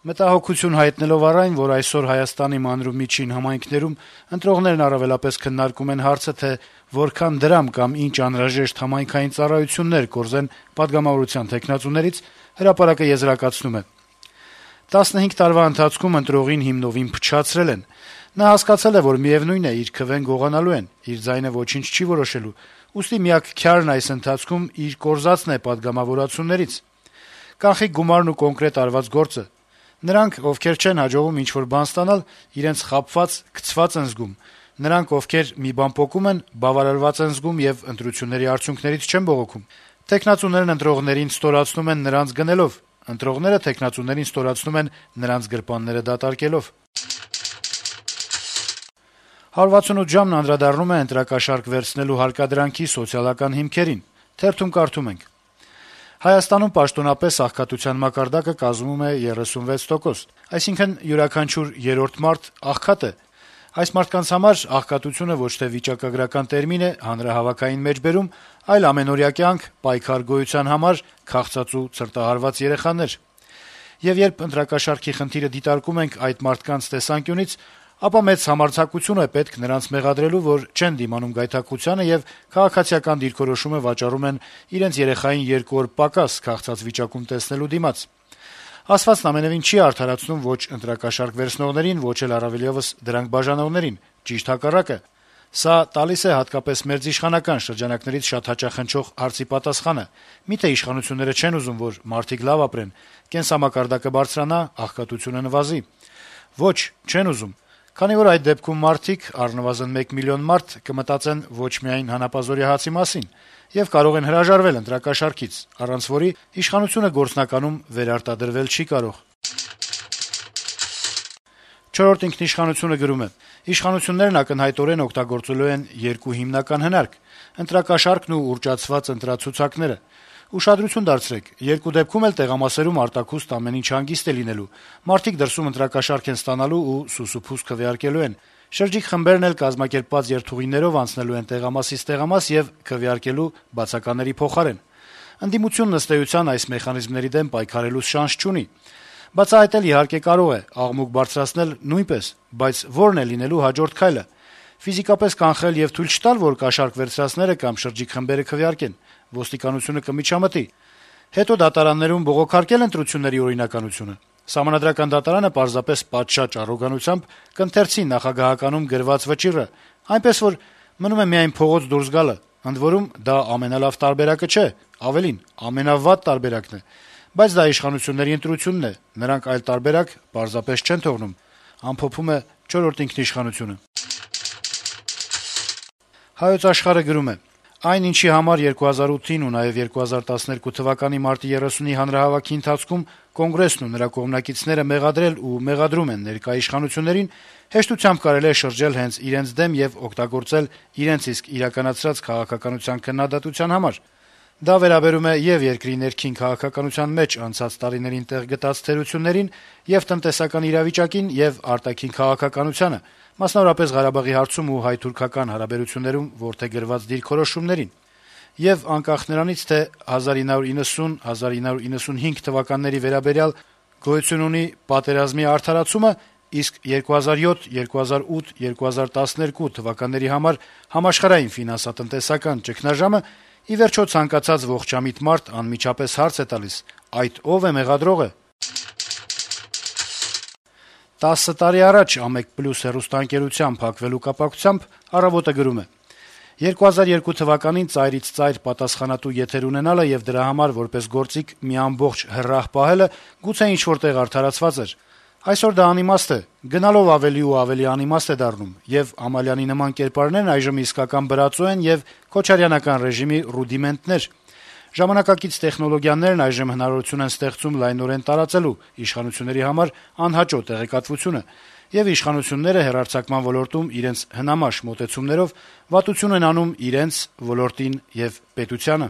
Մտահոգություն հայտնելով առ այն, որ այսօր Հայաստանի մանր ու միջին համայնքներում ընտրողներն առավելապես քննարկում են հարցը, թե որքան դրամ կամ ինչ անհրաժեշտ համայնքային ծառայություններ կորզեն պատգամավորության թեկնածուներից, Հրապարակը եզրակացնում է. 15 տարվա ընթացքում ընտրողին հիմնովին փչացրել են։ Նա հասկացել է, որ միևնույն է, իր քվեն գողանալու են, իր ձայնը ոչինչ չի որոշելու, ուստի միակ քյարն այս ընթացքում իր կորզածն է պատգամավորություններից։ Կանխիկ գումարն ու կոնկրետ արված գործը։ Նրանք, ովքեր չեն հաջողում ինչ-որ բան ստանալ, իրենց խաբված, գցված են զգում։ Նրանք, ովքեր մի բան պոկում են, բավարարված են զգում եւ ընտրությունների արդյունքներից չեն բողոքում։ Թեկնածուներն ընտրողներին ստորացնում են նրանց գնելով, ընտրողները թեկնածուներին ստորացնում են նրանց գրպանները դատարկելով։ 168 ժամն անդրադառնում է ընտրակաշառք վերցնելու հարկադրանքի սոցիալական հիմքերին։ Թերթում կարդում ենք. Հայաստանում պաշտոնապես աղքատության մակարդակը կազմում է 36%, այսինքն յուրաքանչյուր երրորդ մարդ աղքատ է։ Այս մարդկանց համար աղքատությունը ոչ թե վիճակագրական տերմին է հանրահավաքային մեջբերում, այլ ամենօրյա կյանք, պայքար գոյության համար, քաղցած ու ցրտահարված երեխաներ։ Եվ երբ ընտրակաշառքի խնդիրը դիտարկում ենք այդ մարդկանց տեսանկյունից, ապա մեծ համարձակություն է պետք նրանց մեղադրելու, որ չեն դիմանում գայթակղությանը եւ քաղաքացիական դիրքորոշումը վաճառում են իրենց երեխային 2 օր պակաս քաղցած վիճակում տեսնելու դիմաց։ Ասվածն ամենևին չի արդարացնում ոչ ընտրակաշառք վերցնողներին, ոչ էլ առավելևս դրանք բաժանողներին, ճիշտ հակառակը։ Սա տալիս է հատկապես մերձիշխանական շրջանակներից շատ հաճախ հնչող հարցի պատասխանը. միթե իշխանությունները չեն ուզում, որ մարդիկ լավ ապրեն, կենսամակարդակը բարձրանա, աղքատությունը նվազի։ Ոչ, չեն ուզում։ Քանի որ այդ դեպքում մարդիկ, առնվազն 1 միլիոն մարդ, կմտածեն ոչ միայն հանապազօրյա հացի մասին եւ կարող են հրաժարվել ընտրակաշառքից, առանց որի իշխանությունը գործնականում վերարտադրվել չի կարող։ Չորրորդ ինքնիշխանությունը գրում է. Իշխանություններն ակնհայտորեն օգտագործելու են երկու հիմնական հնարք՝ ընտրակաշառքն ու ուռճացված ընտրացուցակները։ Ուշադրություն դարձրեք, երկու դեպքում էլ տեղամասերում արտաքուստ ամեն ինչ հանգիստ է լինելու։ Մարդիկ դրսում ընտրակաշառք են ստանալու ու սուսուփուս քվեարկելու են։ Շրջիկ խմբերն էլ կազմակերպված երթուղիներով անցնելու են տեղամասից տեղամաս եւ քվեարկելու բացակաների փոխարեն։ Ընդդիմությունն ըստ էության այս մեխանիզմների դեմ պայքարելու շանս չունի։ Բացահայտել իհարկե կարող է, աղմուկ բարձրացնել նույնպես, բայց ո՞րն է լինելու հաջորդ քայլը։ Ֆիզիկապես կանխել եւ թույլ չտալ, որ կաշառք վերցրածները կամ շրջիկ խմբերը քվեարկեն։ Ոստիկանությունը կմիջամտի։ Հետո դատարաններում բողոքարկել ընտրությունների օրինականությունը։ Սահմանադրական դատարանը պարզապես պատշաճ առոգանությամբ կընթերցի նախագահականում գրված վճիռը, այնպես որ մնում է միայն փողոց դուրս գալը։ Ընդ որում դա ամենալավ տարբերակը չէ, ավելին, ամենավատ տարբերակն է։ Բայց դա իշխանությունների ընտրությունն է, նրանք այլ տարբերակ պարզապես չեն թողնում, ամփոփում է չորրորդ ինքնիշխանությունը։ Հայոց Աշխարհը գրում է. Այն, ինչի համար 2008-ին ու նաև 2012 թվականի մարտի 30-ի հանրահավաքի ընթացքում Կոնգրեսն ու նրա կողմնակիցները մեղադրել ու մեղադրում են ներկա իշխանություններին, հեշտությամբ կարելի է շրջել հենց իրենց դեմ եւ օգտագործել իրենց իսկ իրականացրած քաղաքականության քննադատության համար։ Դա վերաբերում է եւ երկրի ներքին քաղաքականության մեջ անցած տարիներին տեղ գտած թերություններին, եւ տնտեսական իրավիճակին, եւ արտաքին քաղաքականությանը, մասնավորապես Ղարաբաղի հարցում ու հայ-թուրքական հարաբերություններում որդեգրված դիրքորոշումներին։ Եվ անկախ նրանից, թե 1990-1995 թվականների վերաբերյալ գոյություն ունի պատերազմի արդարացումը, իսկ 2007, 2008, 2012 թվականների համար համաշխարհային ֆինանսատնտեսական ճգնաժամը ի վերջո ցանկացած ողջամիտ մարդ անմիջապես հարց է տալիս. այդ ով է մեղադրողը։ 10 տարի առաջ «Ամեկ+» հեռուստաընկերության փակվելու կապակցությամբ «Առավոտ»-ը գրում է. 2002 թվականին ծայրից ծայր պատասխանատու եթեր ունենալը եւ դրա համար որպես գործիք մի ամբողջ հրրահ պահելը գուցե ինչ-որ տեղ արդարացված էր։ Այսօր դա անիմաստ է, գնալով ավելի ու ավելի անիմաստ է դառնում, եւ Ամալյանի նման կերպարներն այժմ իսկական բրածո են եւ քոչարյանական ռեժիմի ռուդիմենտներ։ Ժամանակակից տեխնոլոգիաներն այժմ հնարավորություն են ստեղծում լայնորեն տարածելու իշխանությունների համար անհաճո տեղեկատվությունը, եւ իշխանությունները հեռարձակման ոլորտում իրենց հնամաշ մոտեցումներով վատություն են անում իրենց ոլորտին եւ պետությանը։